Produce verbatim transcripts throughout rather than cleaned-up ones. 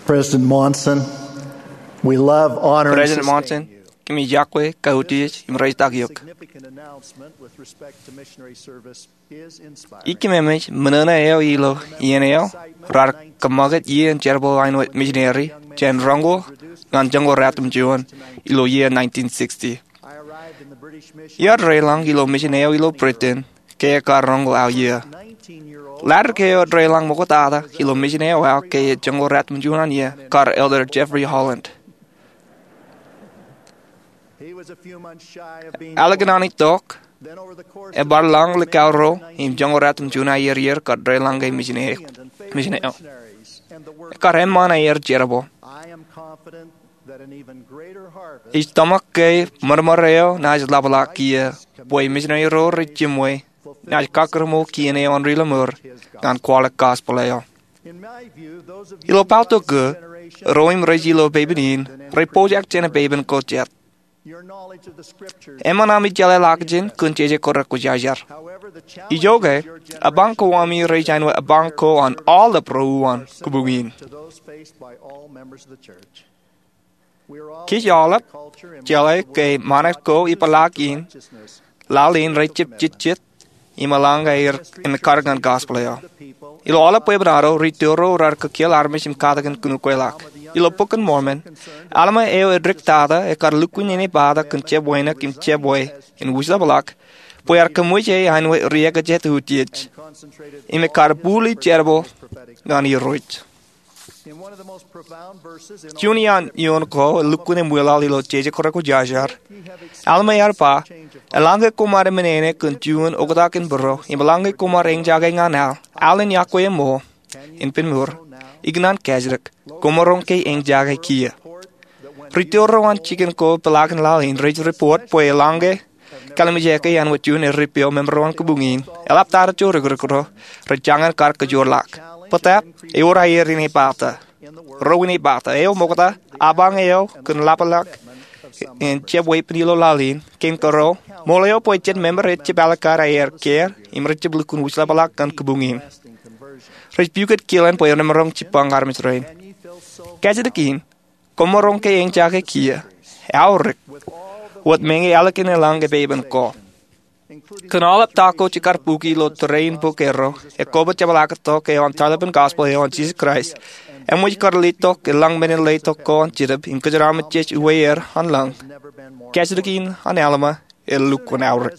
President Monson, we love, honor, and President sustain Monson, you. Kōmij yokwe, kautiej im rejitak eok. Significant announcement with respect to missionary service. Ikememej men ṇe eo ilo iien eo raar kōṃṃakūt iien jerbal āinwōt missionary jān roñoul ñan joñoul ratimjuon ilo iien nineteen sixty. Iar deḷọñ ilo mission eo ilo Britain ke ekar roñoul aō iiō. Ḷaddik eo deḷọñ ṃoktata ilo mission eo aō ke joñoul ratimjuon an iiō kar Elder Jeffrey Holland. Ālikin an itok, ebar lọñḷọk ḷọk ruo im joñoul ratimjuon aō iiō kar deḷọñ ke mission eo. Ekar eṃṃan aer jerbal. Ij tōmak ke ṃōrṃōr eo naaj ḷapḷọk kiiō bwe missionary ro rej jiṃwe naaj kakkure ṃool kien eo an ri lọmọọr ñan kwaḷọk gospel eo. Ilo pāltok ko, ro im rej ilo pepen in rej pojak jān pepen ko jet. Eṃṃan ami jeḷā ḷọkjeṇ kōn jeje kōrā kwōjarjar. Ijoke, ebañ ko ami rej āinwōt ebañ ko an aolep ro uwaan kōbuñ in. Kōj aolep jeḷā ke ṃanit ko ipḷaak in laḷ in rej jab jejjet im eḷaññe aer im ekkar ñan gospel eo. Ilo aolep bwebwenato, ri-tōl ro raar kōkeel armej im katakin kōn ukweḷọk. Ilo Bok in Mormon, Alma eo edik tata ekar lukkuun inepata kōn jab wānōk im jab wāween wūjlepḷọk bwe ear kōṃṃool āinwōt ri-ekajet utiej im ekar bōli jerbal ñan Irooj. Juon iaan eoon ko elukkuun eṃwilaḷ ilo jeje kōrā kwōjarjar, Alma ear ba, eḷaññe koṃ ar eṃṃan āne kōn juon oktak in būro im eḷaññe koṃ ar eñjake ñan aḷ, aḷ in yokwe eṃṃool in pen mour, ikōṇaan kajjitōk, koṃ maroñ ke eñjake kiiō. Ri-tōl ro an jikin ko ipḷaak in laḷ in rej report bwe eḷaññe kallimjeke āinwōt juon erippepe eo, member eo an kōbuñ in eḷap tata jo rikirikro, rej jañin kar kōjoorḷọk. Bōtab, ewōr aer inepata. Ro inepata. Eo ṃokta, apañ eo kōn ḷapḷọk in jab weeppān ilo laḷ in, kein kōrā, ṃool eo bwe jet member ej jab alikkar aer kiiō im rej jab lukkuun wūjlepḷọk ñan kōbuñ in. Rej pukot kilen bwe remaroñ jibbañ armej rein. Kajjitōk in, koṃ maroñ ke eñjake kiiō, aorōk, wōt meñe ālikin eḷaññe pepen ko. Kōn aolep ta ko jekar buki ilo tōre in bok erro, ekobot jepḷaaktok eo an tarlepen gospel eo an Jisōs Kraist, eṃōj kar letok eḷaññe men in letok ko an Jetōb im kōjeraaṃṃan jej uwe er an lañ. Kajjitōk in an Alma, elukkuun aorōk.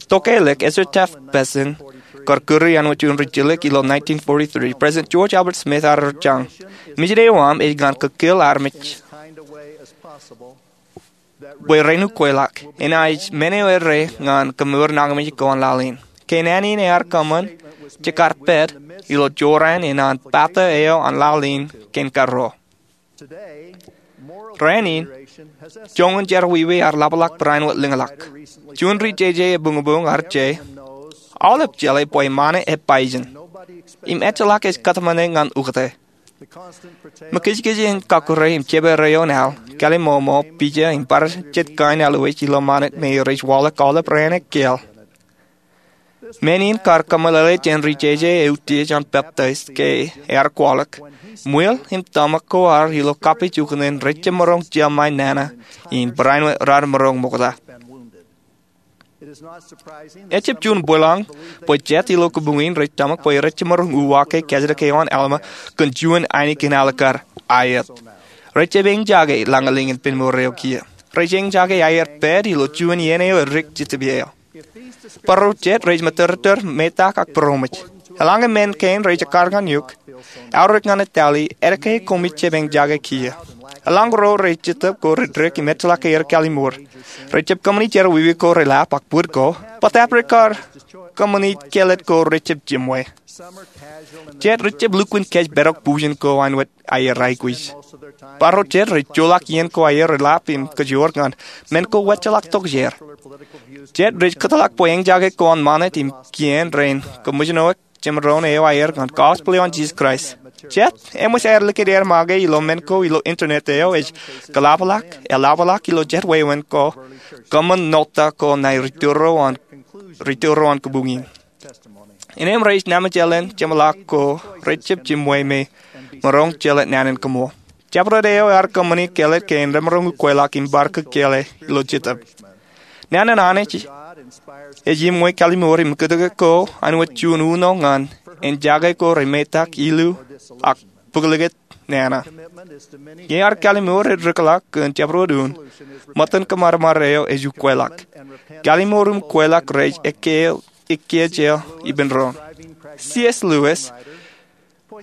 Tokālik, Ezra Taft Benson kar kūri āinwōt juon ri-jilōk ilo nineteen forty-three. President George Albert Smith ear jar, mission eo aṃ ej ñan kōkeel armej bwe ren ukweḷọk, enaaj men eo errā ñan kōmour nañinmej ko an laḷ in. Ke naan in ear kōṃṃan, jekar pād ilo jorrāān in an pata eo an laḷ in kein kōrā. Rainin, joñan jerọwiwi ear ḷapḷọk barāinwōt lōñḷọk. Juon ri-jeje ebuñbuñ ear je, aolep jeḷā bwe ṃane ej pāijin im ejjeḷọk ej kōtmāne ñan ukōte. Ṃōkajkaj in kakkure im jepere eo an aḷ, kaliṃṃoṃo, pija im bar jet kain alwōj ilo ṃanit me rej waḷọk aolep raan ekkāāl. Men in kar kōmeḷeḷe jān ri-jeje eutiej an peptaij ke ear kwaḷọk, ṃwiel im tōmak ko ad ilo kapijuknen rej jab maroñ jemae nana in barāinwōt raar maroñ ṃokta. Ejjab juon bwilōñ bwe jet ilo kōbuñ in rej tōmak bwe rej jab maroñ uwaake kajjitōk eo an Alma kōn juon ainikien alikkar aet. Rej jab eñjake lañlōñ in pen mour eo kiiō. Rej eñjake aer pād ilo juon iien eo edik Jetōb eo. Barro jet rej ṃōttōrtōr metak ak būroṃōj. Eḷaññe men kein rej ekkar ñan eok, aorōk ñan etale, etke koṃij jab eñjake kiiō? Eḷaññe ro rej Jetōb ko rej dik im ejjeḷọk aer kalliṃur, rej jab kōṃṃani jerọwiwi ko reḷap ak bōd ko, bōtab rej kar kōṃṃani kellet ko rej jab jiṃwe. Jet rej jab lukkuun kōjparok bujen ko āinwōt aer aikuj. Barro jet rej joḷọk iien ko aer reḷap im kōjoor ñan men ko wōjjeḷọk tokjāer. Jet rej kōtḷọk bwe eñjake ko an ṃanit im kien rein kōṃōjṇọ jemdoon eo aer ñan gospel eo an Jisōs Kraist. Jet, eṃōj aer likūt aer make ilo men ko ilo internet eo ej kōḷapḷọk, eḷapḷọk ilo jet wāween ko, kōṃṃan ṇotta ko ṇae ri-tōl ro an, ri-tōl ro an kōbuñ in. Innām rej naan jeḷāḷọk ko rej jab jiṃwe me maroñ jelōt naan in kōṃṃool. Jabdewōt eo ear kōṃṃani kāālōt kein remaroñ ukweḷọk im bar kōkkeḷe ilo jetōb. Naan in Anij ej iṃwe kalimoor im kōtōke ko āinwōt juon uno ñan en jake ko remetak, ilu, ak bōklōkōt nana. Ñe ear kalimoor ej rūkḷọk kōn jabdewōt un, ṃōttan kōṃadṃōd eo ej ukweḷọk. Kalimoor im ukweḷọk rej ekkejel ippān doon. C. S. Lewis,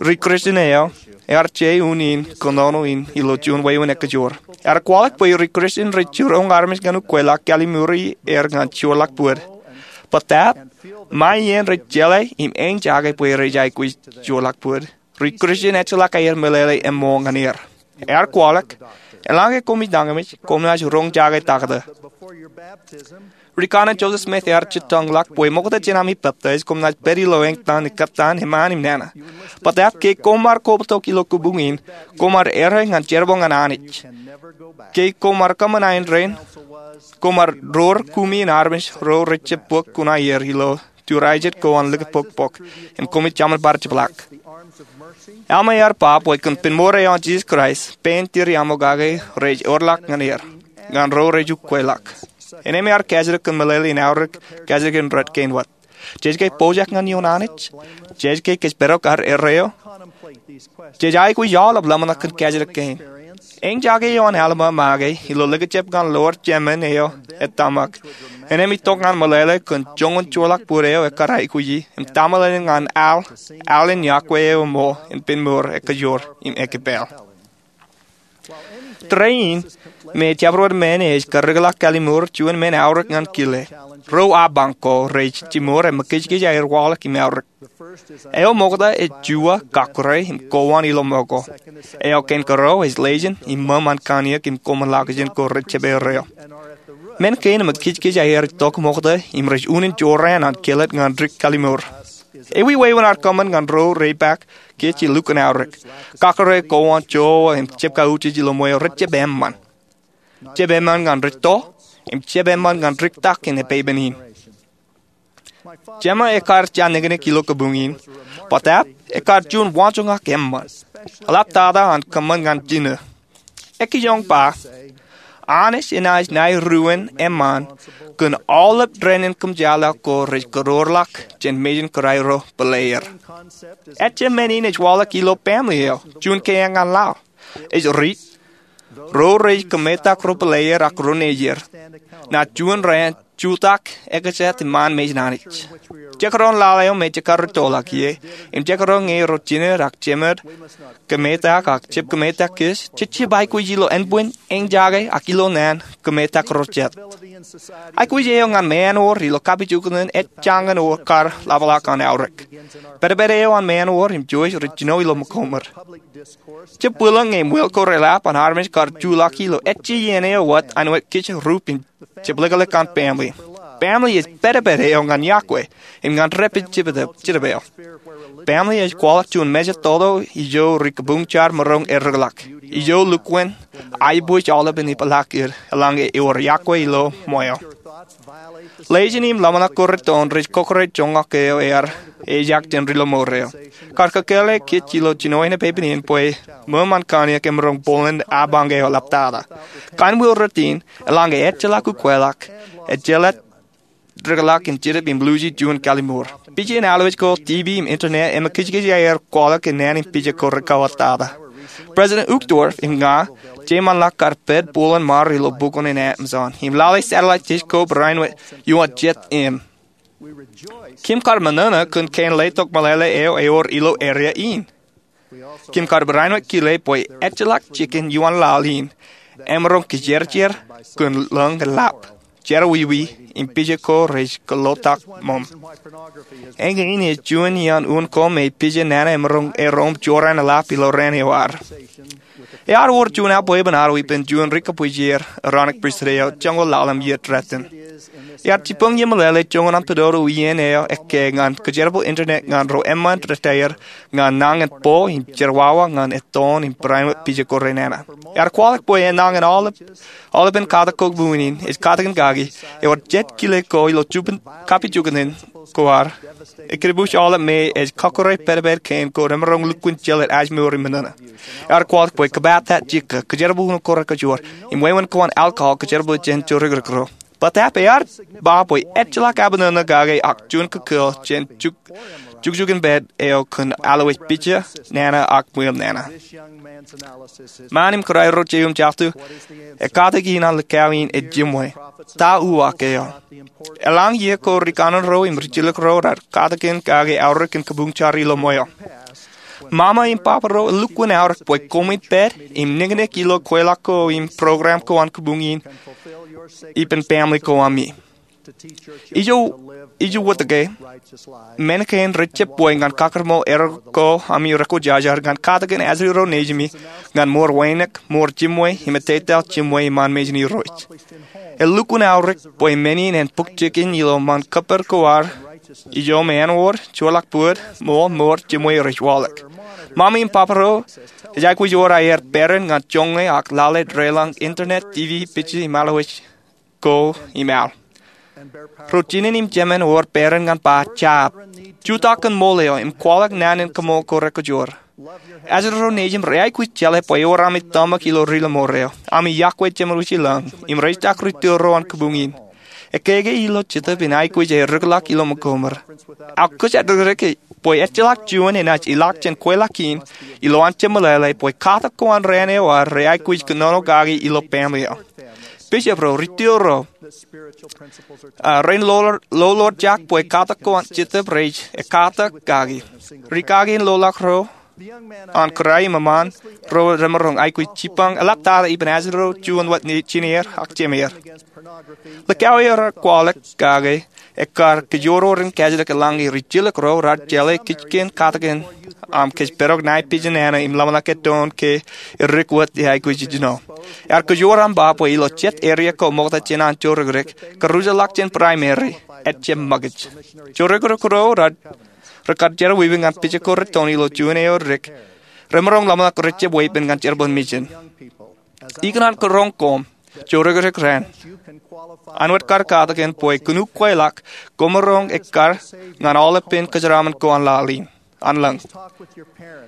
ri-Kristian eo, ear je unin kōnono in ilo juon wāween ekajoor. Ear kwaḷọk bwe ri-Kristian rej jiroñ armej ñan ukweḷọk kalimoor er ñan joorḷọk bōd. Bōtab, ṃae iien rej jeḷā im āinjake bwe rej aikuj joorḷọk bōd, ri-Kristian ejjeḷọk aer meḷeḷe eṃṃool ñan er. Ear kwaḷọk, eḷaññe koṃij nañinmej, koṃ naaj roñ jake taktō. Ri-Kanaan Joseph Smith ear jitōñḷọk bwe ṃokta jān ami peptaij koṃ naaj pād ilo āngtan ekkattan eṃṃaan im nana. Bōtab ke koṃ ar kobatok ilo kabuñ in, koṃ ar errā ñan jerbal ñan Anij. Ke koṃ ar kōṃṃan aendein, koṃ ar door kumi in armej ro rej jab bōk kuṇaer ilo turajet ko an likūt pokpok, im koṃij jaṃin bar jepḷaak. Alma ear ba bwe kōn pen mour eo an Jisōs Kraist, pein tiriaṃokake rej orḷọk ñan er, ñan ro rej ukweḷọk. Innem ear kajidik kōn meḷeḷe in aorōk kajjitōk in rot kein wōt. Jej ke pojak ñan ioon Anij? Jej ke kōjparok ad errā eo? Jej aikuj aolep ḷōmṇak kōn kajjitōk kein. Āinjake eo an Alma make ilo likūt jab ñan lowar jemān eo ettōmak, innem itok ñan meḷeḷe kōn joñan joorḷọk bōd eo ekkar aikuji im tōmōlōlōn ñan al, al in yokwe eo eṃṃool in pen mour ekajoor im ekipāll. Tōre in, me jabdewōt men ej karreoḷọk kalimoor, juon men eaorōk ñan kile. Ro apañ ko rej jimor emōj kōjkōj aer waḷọk im eaorōk. Eo ṃokta ej juwa, kakōrā, im kowan ilo ṃōko. Eo kein kōrā ej lejin im ṃōṃ an kanniōk im koṃṃool ḷọkjeṇ ko rej jab errā eo. Men kein emōj kōjkōj aer itok ṃokta im rej unin jorrāān an kelōt ñan dik kalimoor. Ewi wāween ad kōṃṃan ñan ro rej ipaak kōj ilo lukkuun aorōk? Kakōrā, kowan, jowa, im jab kautiej ilo ṃweo rej jab eṃṃan. Jab eṃṃan ñan rej to, im jab eṃṃan ñan dik tak in epeipen in. Jema ekkar janikinik ilo kabuñ in, bōtab ekkar juon waanjoñak eṃṃan. Eḷaptata an kōṃṃan ñan jino. Ekijoñ ba, Anij enaaj nai ruōn eṃṃan kōn aolep dān in kōmjeḷā ko rej kōroorḷọk jān mejān kōrā ro pāleer. Ejjab men in ej waḷọk ilo baaṃle eo, juon keeañ ñan laḷ. Ej riit, ro rej kōmetak ro pāleer ak ro nejier, naaj juon raan jutak ekjat iṃaan mejān Anij. Jekdọọn laḷ eo me jekar rūttoḷọk ie, im jekdọọn ñe ro jined ak jemed kōmetak ak jab kōmetak kōj, jej jab aikuj ilo ānbwin, āinjake, ak ilo naan kōmetak ro jet. Aikuj eo ñan ṃaanwōr ilo kapijuknen ej jañin wōt kar ḷapḷọk an aorōk. Pedped eo an ṃaanwōr im jouj rej jino ilo ṃōko ṃōd. Jab bwilōñ ñe ṃweo ko reḷap an armej kar juḷọk ilo ejja iien eo wōt āinwōt kōj rup im jepḷōklōk an baaṃle. Baaṃle ej pedped eo ñan yokwe im ñan dāpij jitōb eo. Baaṃle ej kwaḷọk juon mejatoto ijo ri kabuñ jar maroñ errōkḷọk, ijo lukkuun aiboojoj aolepen ipḷaak eo eḷaññe ewōr yokwe ilo ṃweo. Lejin im ḷōmṇak ko rūttoon rej kōkōrā joñak eo ear ejak jān ri-lọmọọr eo. Kar kōkkeḷe kōj ilo jinoin epeipen in bwe ṃōṃ an kanniōk emaroñ bōlen apañ eo eḷaptata. Kōn ṃwiin rot in, eḷaññe ejjeḷọk ukweḷọk, ejjeḷọk dikḷọk in jetōb im luuji juon kalimoor. Pija in alwōj ko, TV im internet emōj kōjkōj aer kwaḷọk kōn naan in pija ko rej kōwattata. President Uchtdorf im ña, jeiṃanḷọk kar pād bōlen ṃaar ilo bukun in Amazon im lale satellite dish ko barāinwōt juon jet im. Kim kar ṃōṇōṇō kōn kein letok meḷeḷe eo ewōr ilo area in. Kim kar barāinwōt kile bwe ejjeḷọk jikin juon laḷ in emaroñ kijerjer kōn lōñ eḷap, jerọwiwi, im pija ko rej kōḷḷotak ṃōṃ. Eñin ej juon iaan unin ko me pija nana emaroñ erom jorrāān eḷap ilo raan eo ad. Ear wōr juon aebwepen ad ippān juon ri-kōbwijer Aaronic Pristut eo joñoul ḷalem iiō rej tōl. Ear jibboñ ie meḷeḷe joñan an pād ro ien eo ekkā ñan kōjerbal internet ñan ro eṃṃan retaer ñan nañin bōk im jerọwiwi ñan ettoon im barāinwōt pija ko renana. Ear kwaḷọk bwe enañin aolepen katak ko buñin in ej katakin kaki, ewōr jet kile ko ilo kapijuknen ko ad, ekkā rej bōk aolep me ej kọkkure pād pād kein ko remaroñ lukkuun jeḷā ej mour im ṃōṇōṇō. Ear kwaḷọk bwe kōpata jikō, kōjerbal uno ko rekajoor, im wāween ko an alcohol kōjerbal jān jorōkrōk ro. Bōtaab ear ba bwe ejjeḷọk abṇōṇō kake ak juon kōkōḷ jān jukjukinpād eo kōn allowaj pija, nana ak ṃweo nana. Ṃaan im kōrā ro jeiū im jatū, ekkatak in an likao in ej jiṃwe. Ta uwaak eo? Eḷaññe iiō ko ri kanaan ro im ri jilkinrot raar katakin kake aorōk in kabuñ jar ilo ṃweo. Ṃaṃa im baba ro elukkuun aorōk bwe koṃwin pād im niknik ilo kweilọk ko im program ko an kabuñ in ippān family ko ami. Ijo, ijo wōt ke, men kein rej jab bwe ñan kakōṃṃan erro ko ami rekwōjarjar ñan katakin ajri ro nejimi ñan mour wānōk, mour jiṃwe im ettetaḷ jiṃwe iṃaan mejān Irooj. Elukkuun aorōk bwe men in en bōk jikin ilo ṃaan kōppād ko ad ijo me āinwōt, joorḷọk bōd, ṃool, mour jiṃwe rej waḷọk. Ṃaṃa im baba ro ej aikuj wōr aer peran ñan joñe ak lale deḷọñ internet, TV, pija im allowaj ko im al. Ro jinen im jemān ewōr peran ñan ba jab, jutak kōn ṃool eo im kwaḷọk naan in kaṃool ko rekajoor. Ajri ro nejim rej aikuj jeḷā bwe ewōr ami tōmak ilo rilaṃoor eo, ami yokwe jeṃōd wūjilōñ, im rej jak ri tōl ro an kabuñ in. Ekkā ke ilo Jetōb in aikuj ej rūkḷọk ilo ṃōkoṃ eo. Ak kōjatdikdik bwe ejjeḷọk juon enaaj ilọk jān kweilọk in, ilowaan jab meḷeḷe bwe katak ko an raan eo ad rej aikuj kōnono kaki ilo family eo. Bishop ro, ri tōl ro, a, rein lolorjak bwe katak ko an Jetōb rej ekkatak kaki. Ri kaki in loḷọk ro an kōrā im eṃṃaan ro remaroñ aikuj jibboñ eḷaptata ippān ajri ro juon wōt jineer ak jemeer. Likao eo raar kwaḷọk kake ekkar kōjoror in kajjitōk eḷaññe ri jilkinrot raar jeḷā kijken katakin aṃ kōj pād tok ṇae pija nana im ḷōmṇak ettoon ke edik wōt eaikuj ijjino. Ear kōjwōr aṃ ba bwe ilo jet area ko ṃokta jān an jorōkrōk, karujaḷọk jān primary, ejjab ṃōkaj. Jorōkrōk ro raar, rekar jerọwiwi ñan pija ko rettoon ilo juon eo dik, remaroñ ḷōmṇak rej jab weeppān ñan jerbal in mejān. Ikōṇaan kōrọọñ koṃ, jorōkrōk raṇ, an wōt kar katakin bwe kōn ukweḷọk koṃaroñ ekkar ñan aolepān kōjeraṃṃan ko an laḷ in, an lōñ.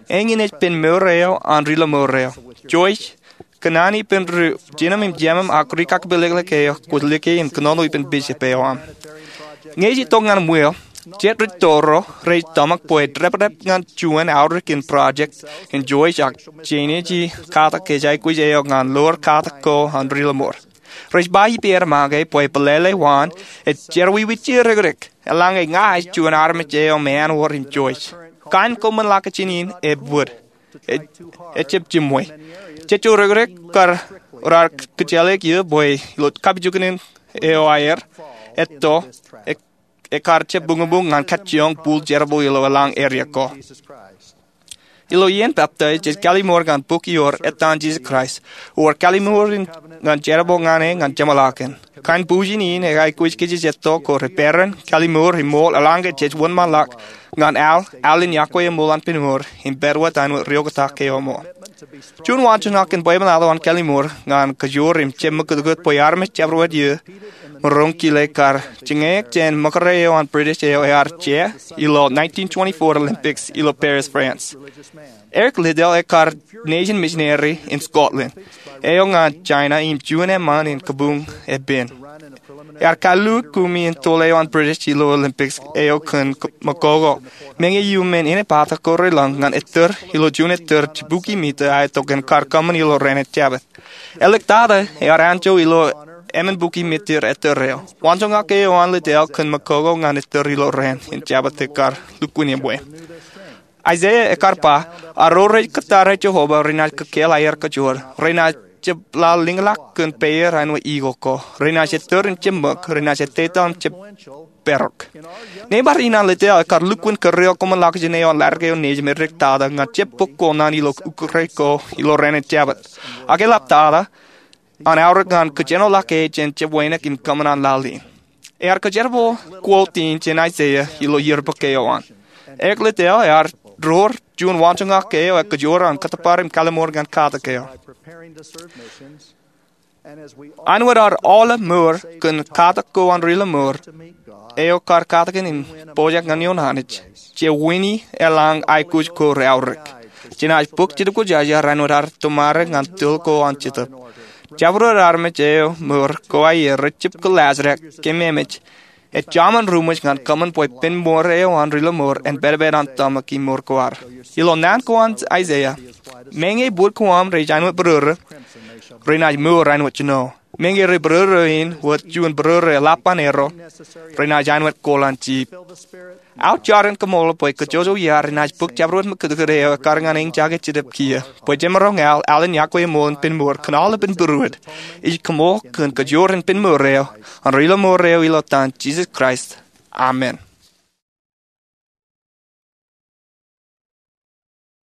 Eñin ej pen mour eo an rilaṃoor eo. Joyce, kōṇaan ippān ri jinōm im jemōm ak ri kakpālōklōk eo kwōj lōke im kōnono ippān bishop eo aṃ. Ñe ej itok ñan ṃweo, jet ri tōl ro rej tōmak bwe dāpdep ñan juon aorōk in project in Joyce ak jenaaj katak ke ej aikuj eo ñan lor katak ko an rilaṃoor. Rej ba ippāer make bwe pālele waan ej jerọwiwi jorōkrōk, eḷaññe ña ij juon armej eo me āinwōt in Joyce. Kain koṃṃan ḷọk ijin in ej bōd, ejjab jiṃwe. Jet jorōkrōk kar raar kōjjeḷāik eō bwe ilo kapijuknen eo aer, etto, e, ekar jab buñbuñ ñan kajjioñ bul jerbal ilo eḷaññe area ko. Ilo iien pāptaij, jej kallimur ñan bok iior Ettaan Jesus Christ, ewōr kallimur in ñan jerbal ñan e ñan jeṃḷọkin. Kain bujen in ej aikuj kōj jej etto ko reperan, kallimur im ṃool eḷaññe jej wōnṃaanḷọk ñan al, al in yokwe eṃṃool an pen mour, im pād wōt āinwōt riooktak ke eṃṃool. Juon waanjoñak in bwebwenato an kallimur ñan kajoor im jab ṃakūtkūt bwe armej jabdewōt iiō maroñ kile kar jiñeañ jān ṃōkaj eo an British eo ear jea ilo nineteen twenty-four Olympics ilo Paris, France. Eric Liddell ekar nejin misineri in Scotland eo ñan China im juon eṃṃan in kabuñ epen. Ear kalluuk kumi in tōl eo an British ilo Olympics eo kōn Makoko. Meñe iuṃwin inepata ko relōñ ñan ettōr ilo juon ettōr jibukwi mita aetok in kar kōṃṃan ilo raṇ in Jabōt. Āliktata ear anjọ ilo emān bukwi mita ettōr eo. Waanjoñak eo an Liddell kōn Makoko ñan ettōr ilo raṇ in Jabōt ekar lukkuun eṃṃwe. Isaiah ekar ba, a ro rej kōttar eo Jehovah renaaj kōkkeḷ aer kajoor, renaaj jab lale lōñḷọk kōn peier āinwōt eagle ko, renaaj ettōr im jab ṃōk, renaaj ettetaḷ im jab parok. Nebar in an Liddell ekar lukkuun kōrreoḷ koṃṃan ḷọkjeṇ eo an ḷadik eo nejim edik tata ñan jab bōk kōṇaan ilo ukōt ko ilo raṇ in Jabōt. Ak eḷaptata, an aorōk ñan kōjenoḷọk e jān jab wānōk im kōṃṃan an laḷ in. Ear kōjerbal quote in jān Aiseia ilo iiō bōk eo an. Eklejia eo ear door juon waanjoñak eo ekōjwōr an kōttōpar im kalliṃur ñan katak eo. Āinwōt ad aolep mour kōn katak ko an ri lọmọọr eo kar katakin im pojak ñan ioon Anij, je wini eḷaññe aikuj ko reaorōk. Jān ej bōk Jetōb Kwōjarjar āinwōt ad tomarro ñan tōl ko an Jetōb, jabdewōt armej eo mour ko aer rej jab kōllaajrak kememej, ej jaṃin ruṃwij ñan kōṃṃan bwe pen mour eo an ri lọmọọr en pedped an tōmak im mour ko ad. Ilo naan ko an Aiseia, meñe bōd ko aṃ rej āinwōt bōrōrō, renaaj mour āinwōt jino. Meñe rej bōrōrō in wōt juon bōrōrō eḷap an erro, renaaj āinwōt kooḷ an jiip. Aō jar in kaṃṃoolol bwe kōjojok iaad renaaj bōk jabdewōt ṃōkaj eo ekkar ñan eñjake Jetōb kiiō bwe jemaroñ al alin yokwe ṃool in pen mour kōn aolepān būruod. Ij koṃṃool kōn kajoor in pen mour eo an ri lọmọọr eo ilo etan Jisōs Kraist, amen.